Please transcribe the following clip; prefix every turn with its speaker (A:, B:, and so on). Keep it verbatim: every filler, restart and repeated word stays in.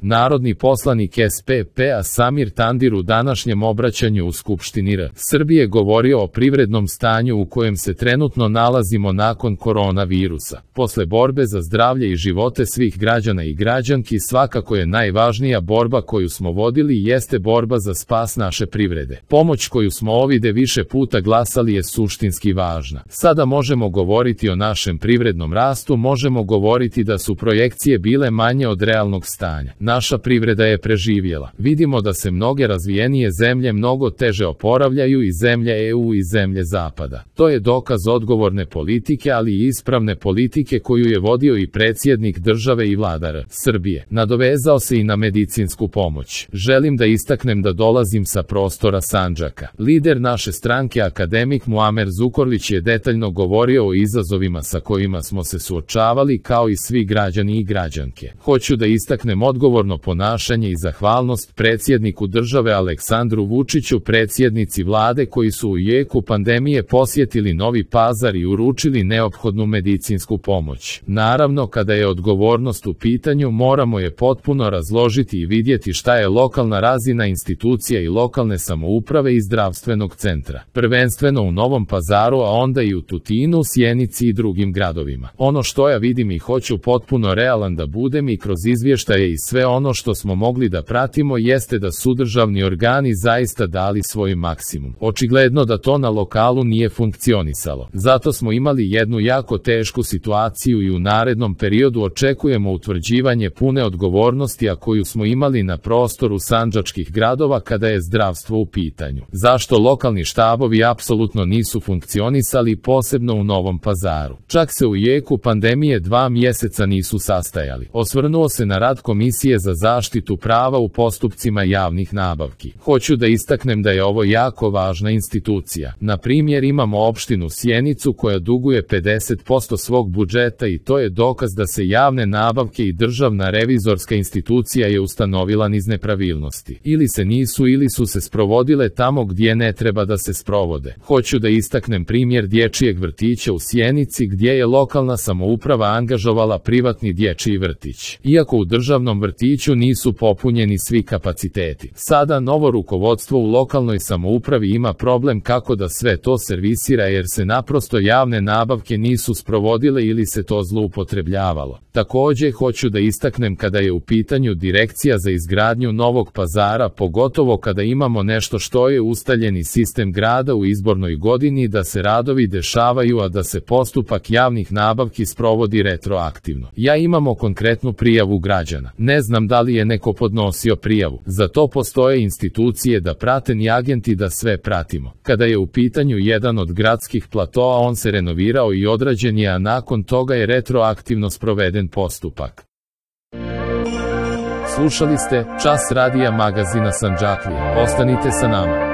A: Narodni poslanik S P P-a Samir Tandir u današnjem obraćanju u Skupštini R. Srbije govorio o privrednom stanju u kojem se trenutno nalazimo nakon koronavirusa. Posle borbe za zdravlje i živote svih građana i građanki svakako je najvažnija borba koju smo vodili jeste borba za spas naše privrede. Pomoć koju smo ovide više puta glasali je suštinski važna. Sada možemo govoriti o našem privrednom rastu, možemo govoriti da su projekcije bile manje od realnog stanja. Naša privreda je preživjela. Vidimo da se mnoge razvijenije zemlje mnogo teže oporavljaju i zemlje E U i zemlje Zapada. To je dokaz odgovorne politike, ali i ispravne politike koju je vodio i predsjednik države i vlada R. Srbije. Nadovezao se i na medicinsku pomoć. Želim da istaknem da dolazim sa prostora Sandžaka. Lider naše stranke akademik Muamer Zukorlić je detaljno govorio o izazovima sa kojima smo se suočavali kao i svi građani i građanke. Hoću da istaknem odgovorno ponašanje i zahvalnost predsjedniku države Aleksandru Vučiću, predsjednici vlade koji su u jeku pandemije posjetili Novi Pazar i uručili neophodnu medicinsku pomoć. Naravno, kada je odgovornost u pitanju, moramo je potpuno razložiti i vidjeti šta je lokalna razina institucija i lokalne samouprave i zdravstvenog centra. Prvenstveno u Novom Pazaru, a onda i u Tutinu, Sjenici i drugim gradovima. Ono što ja vidim i hoću potpuno realan da budem i kroz izvještaje i sve ono što smo mogli da pratimo jeste da su državni organi zaista dali svoj maksimum. Očigledno da to na lokalu nije funkcionisalo. Zato smo imali jednu jako tešku situaciju i u narednom periodu očekujemo utvrđivanje pune odgovornosti, a koju smo imali na prostoru sandžačkih gradova kada je zdravstvo u pitanju. Zašto lokalni štabovi apsolutno nisu funkcionisali, posebno u Novom Pazaru? Čak se u jeku pandemije dva mjeseca nisu sastajali. Osvrnuo se na rad Komisije za zaštitu prava u postupcima javnih nabavki. Hoću da istaknem da je ovo jako važna institucija. Na primjer, imamo opštinu Sjenicu koja duguje pedeset posto svog budžeta i to je dokaz da se javne nabavke i državna revizorska institucija je ustanovila niz nepravilnosti. Ili se nisu ili su se sprovodile tamo gdje ne treba da se sprovode. Hoću da istaknem primjer dječjeg vrtića u Sjenici gdje je lokalna samouprava angažovala privatni dječji vrtić. Iako u državnom vrtiću nisu popunjeni svi kapaciteti. Sada novo rukovodstvo u lokalnoj samoupravi ima problem kako da sve to servisira jer se naprosto javne nabavke nisu sprovodile ili se to zloupotrebljavalo. Također hoću da istaknem kada je u pitanju direkcija za izgradnju Novog Pazara, pogotovo kada imamo nešto što je ustaljeni sistem grada u izbornoj godini da se radovi dešavaju, a da se postupak javnih nabavki sprovodi retroaktivno. Ja imamo konkretnu prijavu građana. Ne znam da li je neko podnosio prijavu. Za to postoje institucije da prate i agenti da sve pratimo. Kada je u pitanju jedan od gradskih platoa, on se renovirao i odrađen je, a nakon toga je retroaktivno sproveden postupak. Slušali ste Čas radija magazina Sandžaklije. Ostanite sa nama.